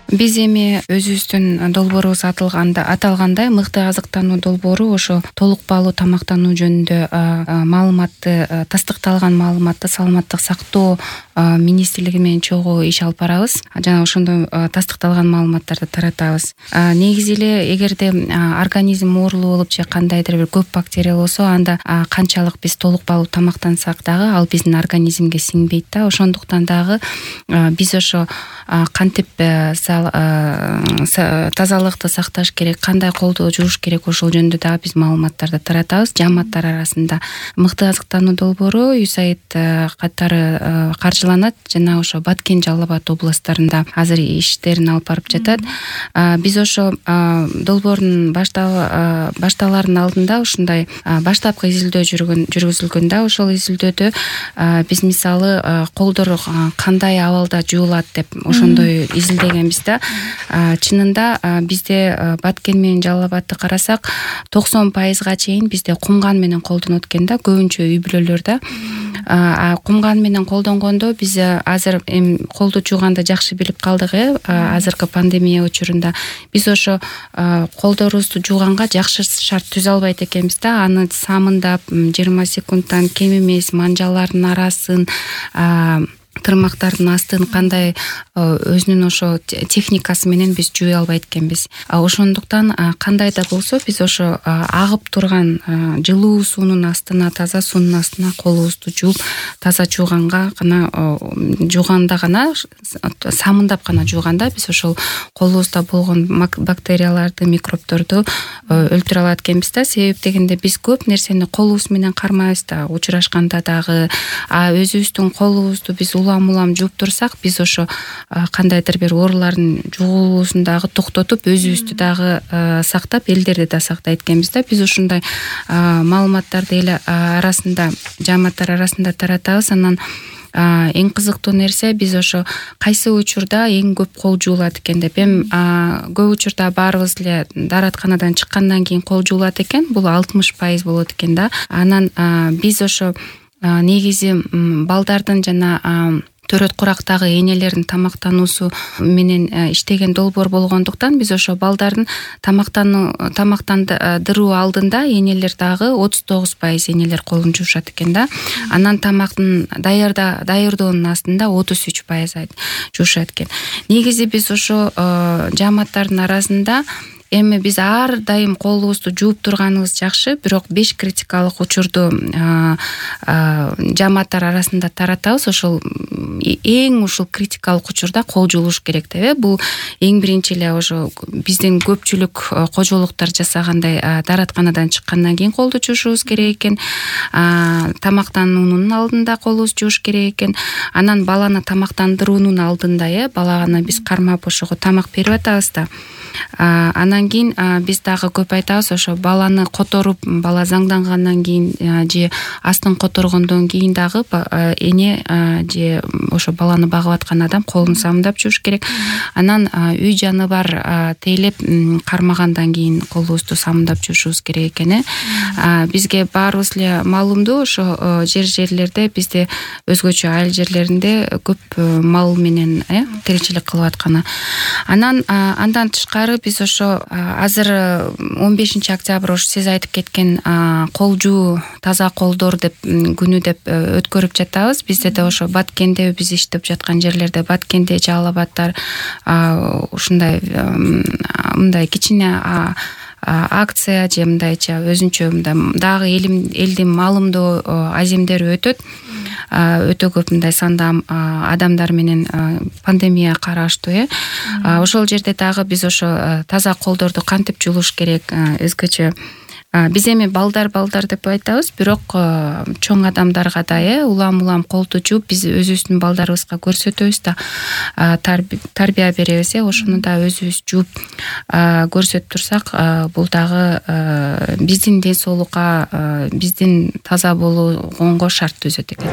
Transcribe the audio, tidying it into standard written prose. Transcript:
Биз эми өзүбүздүн долбоорубуз аталгандай мыкты азыктануу долбоору ошо толук баалуу тамактануу жөнүндө маалыматты, тастыкталган маалыматты саламаттык сактоо министрлиги менен чогуу иш алып барабыз. Жана ошондой тастыкталган маалыматтарды таратабыз. Негизи эле эгерде организм оорулуу болуп же кандайдыр бир көп бактерия болсо, анда канчалык биз толук баалуу тамактансак дагы ал биздин организмге сиңбейт да. Ошондуктан дагы биз ошо кантип тазалыкты сакташ керек, кандай колду жууш керек, ошол жөнүндө дагы биз маалыматтарды таратабыз жааматтар арасында. Мыкты азыктануу долбоору USAID катары каржыланат жана ошо Баткен, Жалал Абад областтарында азыр иштерин алып барып жатат. Биз ошо долбоордун башталарынын алдында ушундай баштапкы изилдөө жүргүзүлгөндө, ошол изилдөөдө биз мисалы колдор кандай абалда жуулат деп ошондой изилдегенбиз да. Чынында бизде Баткен менен Жалал Абадты карасак 90% чейин бизде кумган менен колдонот экен да, көбүнчө үй бүлөлөрдө. Кумган менен колдонгондо биз азыр колду жууганды жакшы билип калдык. Азыркы пандемия учурунда биз ошо колдорубузду жууганга жакшы шарт түзө албайт экенбиз да. Аны самындап 20 секундтан кем эмес манжалардын арасын, тырмактардын астын кандай өзүнүн ошо техникасы менен биз жууй албайт экенбиз. Ошондуктан кандай да болсо биз ошо агып турган жылуу суунун астына, таза суунун астына колубузду жууп, таза жууганда гана самындап гана жууганда биз ошол колубузда болгон бактерияларды, микробторду өлтүрө алат экенбиз да. Себеп дегенде биз көп нерсени колубуз менен кармайбыз да, учурашканда дагы. Өзүбүздүн колубузду биз улам жууп турсак, биз ошо кандайдыр бир оорулардын жугулуусун дагы токтотуп, өзүбүздү дагы сактап, элдерди да сактайт экенбиз да. Биз ушундай маалыматтарды эл арасында, жааматтар арасында таратабыз. Анан эң кызыктуу нерсе, биз ошо кайсы учурда эң көп кол жуулат экен деп, көп учурда баарыбыз эле дааратканадан чыккандан кийин кол жуулат экен. Бул 60% болот экен да. Анан биз ошо негизи балдардын жана төрөт курактагы энелердин тамактануусу менен иштеген долбоор болгондуктан биз ошо балдардын тамактандыруу алдында энелер дагы 39% энелер колун жуушат экен да. Анан тамактын даярдоонун астында 33% жуушат экен. Негизи биз ошо жааматтардын арасында эми биз ар дайым колубузду жууп турганыбыз жакшы, бирок 5 критикалык учурду жааматтар арасында таратабыз. Ошол эң ушул критикалык учурда кол жуулуш керек деп. Бул эң биринчи эле ошо биздин көпчүлүк кожолуктар жасагандай дааратканадан чыккандан кийин колду жуушубуз керек экен. Тамактануунун алдында колубузду жууш керек экен. Анан баланы тамактандыруунун алдында баланы биз кармап ошого тамак берип атабыз да. Анан кийин биз дагы көп айтабыз, ошо баланы которуп, бала заңдангандан кийин же астын которгондон кийин дагы эне же ошо баланы багып аткан адам колун самындап жууш керек. Анан үй жаны бар тейлеп кармагандан кийин колубузду самындап жуушубуз керек экен. Бизге баарыбыз эле маалымдуу, ошо жерлерде бизде өзгөчө айыл жерлеринде көп мал менен тиричилик кылып атканы. Андан тышкары биз ошо азыр 15 октябрь ошо сиз айтып кеткен кол жуу, таза колдор деп күнү деп өткөрүп жатабыз. Бизде да ошо Баткенде биз иштеп жаткан жерлерде, Баткенде, Жалал Абадтар ушундай мындай кичине акция же мындайча өзүнчө дагы элдин маалымдоо аземдери өтөт. Өтө көп мындай санда адамдар менен пандемия караштуу. Ошол жерде дагы биз ошо таза колдорду кантип жуулуш керек, өзгөчө биз эми балдар деп айтабыз, бирок чоң адамдарга да улам колду жууп биз өзүбүздүн балдарыбызга көрсөтөбүз да, тарбия беребиз. Ошону да өзүбүз жууп көрсөтүп турсак, бул дагы биздин ден соолукка, биздин таза болгонго шарт түзөт экен.